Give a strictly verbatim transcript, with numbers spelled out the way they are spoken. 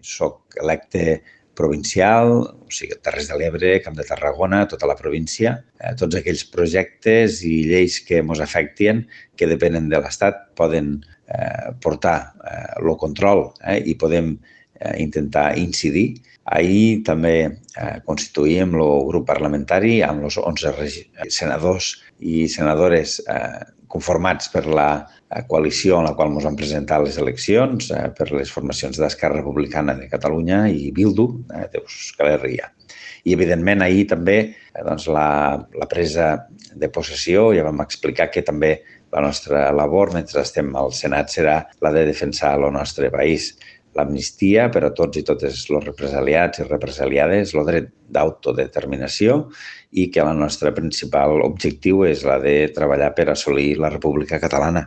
Soc electe provincial, o sigui, Terres de l'Ebre, Camp de Tarragona, tota la província. Eh, tots aquells projectes i lleis que ens afectin, que depenen de l'Estat, poden eh, portar el eh, control eh, i podem eh, intentar incidir. Ahir també eh, constituïm el grup parlamentari amb els onze senadors i senadores eh, conformats per la coalició en la qual ens han presentat les eleccions, eh, per les formacions d'Esquerra Republicana de Catalunya i Bildu, eh, d'Euskal Herria. I, evidentment, ahir també eh, doncs, la, la presa de possessió, ja vam explicar que també la nostra labor mentre estem al Senat serà la de defensar el nostre país. L'amnistia per a tots i totes els represaliats i represaliades, el dret d'autodeterminació i que el nostre principal objectiu és la de treballar per assolir la República Catalana.